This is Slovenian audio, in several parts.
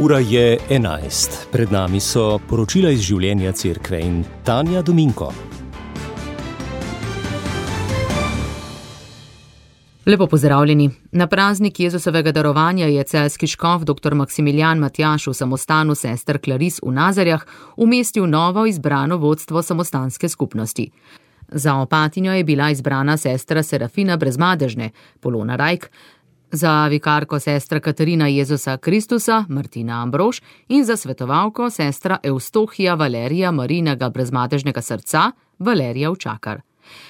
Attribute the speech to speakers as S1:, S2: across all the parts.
S1: Ura je 11. Pred nami so poročila iz življenja cerkve in Tanja Dominko.
S2: Lepo pozdravljeni. Na praznik Jezusovega darovanja je celjski škof dr. Maksimilijan Matjaž v samostanu sester Klaris v Nazarjah umestil novo izbrano vodstvo samostanske skupnosti. Za opatinjo je bila izbrana sestra Serafina Brezmadežne, Polona Rajk, za vikarko sestra Katarina Jezusa Kristusa, Martina Ambrož in za svetovalko sestra Evstohija Valerija Marijinega Brezmadežnega srca, Valerija Učakar.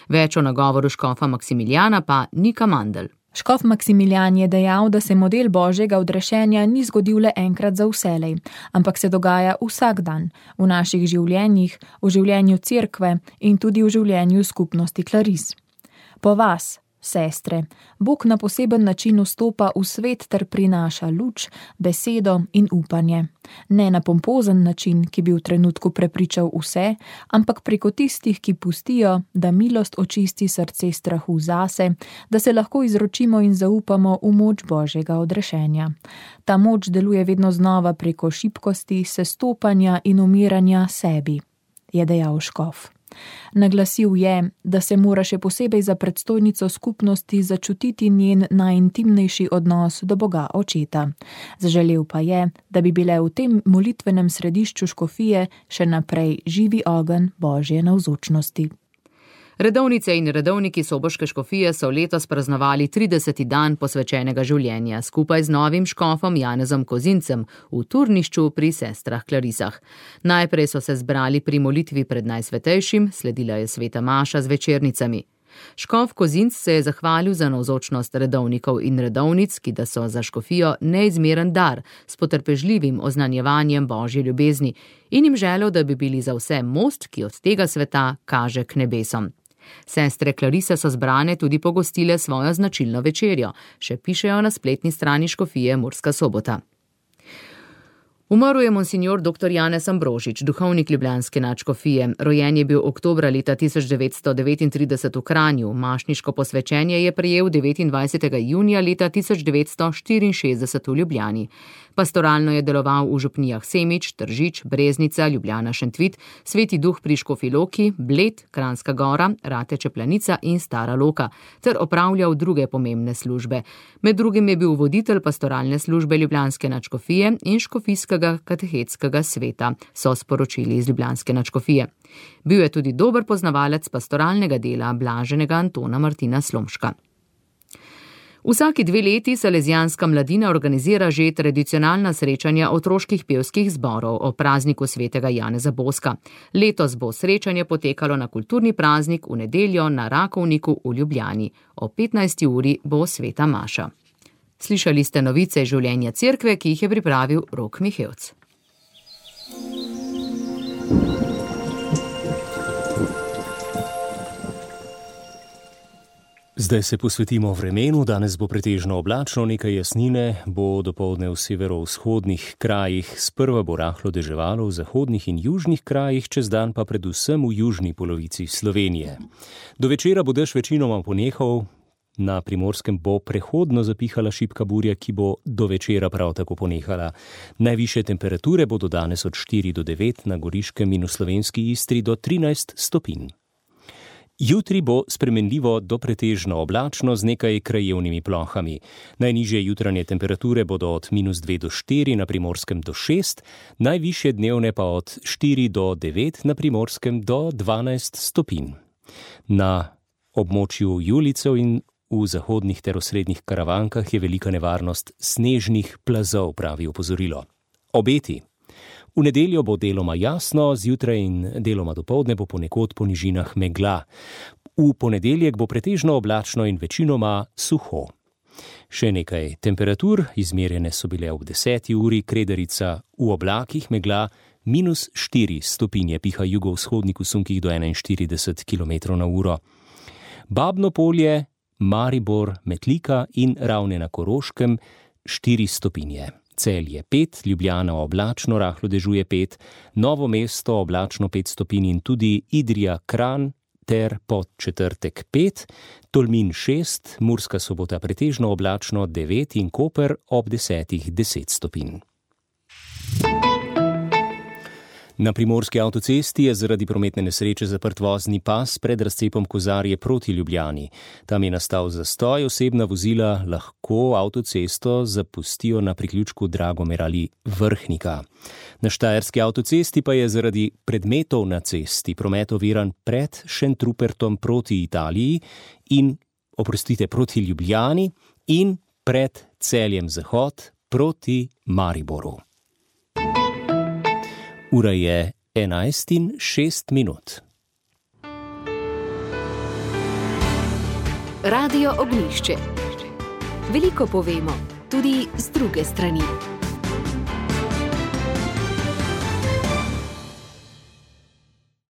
S2: Več o nagovoru škofa Maksimilijana pa Nika Mandl.
S3: Škof Maksimilijan je dejal, da se model Božjega odrešenja ni zgodil le enkrat za vselej, ampak se dogaja vsak dan, v naših življenjih, v življenju cerkve in tudi v življenju skupnosti Klaris. Po vas, sestre, Bog na poseben način vstopa v svet ter prinaša luč, besedo in upanje. Ne na pompozen način, ki bi v trenutku prepričal vse, ampak preko tistih, ki pustijo, da milost očisti srce strahu zase, da se lahko izročimo in zaupamo v moč Božjega odrešenja. Ta moč deluje vedno znova preko šibkosti, sestopanja in umiranja sebi, je dejal škof. Naglasil je, da se mora še posebej za predstojnico skupnosti začutiti njen najintimnejši odnos do Boga Očeta. Zaželel pa je, da bi bile v tem molitvenem središču škofije še naprej živi ogenj Božje navzočnosti.
S2: Redovnice in redovniki soboške škofije so letos praznovali 30. dan posvečenega življenja skupaj z novim škofom Janezom Kozincem v turnišču pri sestrah Klarisah. Najprej so se zbrali pri molitvi pred Najsvetejšim, sledila je sveta maša z večernicami. Škof Kozinc se je zahvalil za navzočnost redovnikov in redovnic, ki da so za škofijo neizmeren dar s potrpežljivim oznanjevanjem Božje ljubezni in jim želel, da bi bili za vse most, ki od tega sveta kaže k nebesom. Sestre Klarise so zbrane tudi pogostile svojo značilno večerjo, še pišejo na spletni strani škofije Murska Sobota. Umrl je monsignor dr. Janez Ambrožič, duhovnik ljubljanske nadškofije. Rojen je bil oktobra leta 1939 v Kranju, mašniško posvečenje je prejel 29. junija leta 1964 v Ljubljani. Pastoralno je deloval v župnijah Semič, Tržič, Breznica, Ljubljana Šentvit, Sveti Duh pri Škofji Loki, Bled, Kranjska Gora, Rateče Planica in Stara Loka, ter opravljal druge pomembne službe. Med drugim je bil voditelj pastoralne službe ljubljanske nadškofije in škofijskega katehetskega sveta, so sporočili iz ljubljanske nadškofije. Bil je tudi dober poznavalec pastoralnega dela blaženega Antona Martina Slomška. Vsaki 2 leti Salezijanska mladina organizira že tradicionalna srečanja otroških pevskih zborov o prazniku svetega Janeza Boska. Letos bo srečanje potekalo na kulturni praznik v nedeljo na Rakovniku v Ljubljani. O 15. uri bo sveta maša. Slišali ste novice življenja cerkve, ki jih je pripravil Rok Mihevc.
S1: Zdaj se posvetimo vremenu, danes bo pretežno oblačno, nekaj jasnine, bo dopoldne v severovzhodnih krajih, sprva bo rahlo deževalo v zahodnih in južnih krajih, čez dan pa predvsem v južni polovici Slovenije. Do večera bo dež večinoma ponehal, na Primorskem bo prehodno zapihala šibka burja, ki bo do večera prav tako ponehala. Najvišje temperature bodo danes od 4 do 9, na Goriškem in v slovenski Istri do 13 stopinj. Jutri bo spremenljivo do pretežno oblačno z nekaj krajevnimi plohami. Najnižje jutranje temperature bodo od -2 do 4, na Primorskem do 6, najvišje dnevne pa od 4 do 9, na Primorskem do 12 stopinj. Na območju Julicev in v zahodnih ter osrednjih Karavankah je velika nevarnost snežnih plazov, pravi opozorilo. Obeti. V nedeljo bo deloma jasno, zjutraj in deloma dopoldne bo ponekod po nižinah megla. V ponedeljek bo pretežno oblačno in večinoma suho. Še nekaj temperatur, izmerjene so bile ob 10. uri, Kredarica v oblakih, megla -4 stopinje, piha jugovzhodnik v sunkih do 41 km/h. Babno Polje, Maribor, Metlika in Ravne na Koroškem 4 stopinje. Celje 5, Ljubljana oblačno, rahlo dežuje 5, Novo mesto oblačno 5 stopinj in tudi Idrija, Kranj ter Podčetrtek 5, Tolmin 6, Murska Sobota pretežno oblačno 9 in Koper ob 10 stopinj. Na primorski avtocesti je zaradi prometne nesreče zaprt vozni pas pred razcepom Kozarje proti Ljubljani. Tam je nastal zastoj, osebna vozila lahko avtocesto zapustijo na priključku Dragomer ali Vrhnika. Na štajerski avtocesti pa je zaradi predmetov na cesti promet oviran pred Šentrupertom proti Italiji in, proti Ljubljani in pred Celjem Zahod proti Mariboru. Ura je 11:06.
S4: Radio Ognjišče. Veliko povemo, tudi z druge strani.